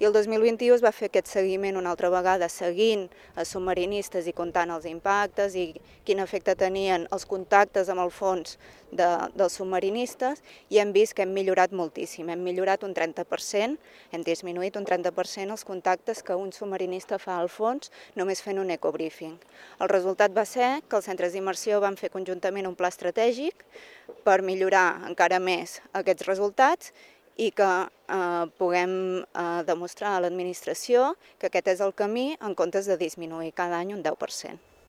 I el 2021 es va fer aquest seguiment una altra vegada, seguint els submarinistes i comptant els impactes i quin efecte tenien els contactes amb el fons dels submarinistes, i hem vist que hem millorat moltíssim, hem millorat un 30%, hem disminuït un 30% els contactes que un submarinista fa al fons només fent un ecobriefing. El resultat va ser que els centres d'immersió van fer conjuntament un pla estratègic per millorar encara més aquests resultats i que puguem demostrar a l'administració que aquest és el camí en comptes de disminuir cada any un 10%.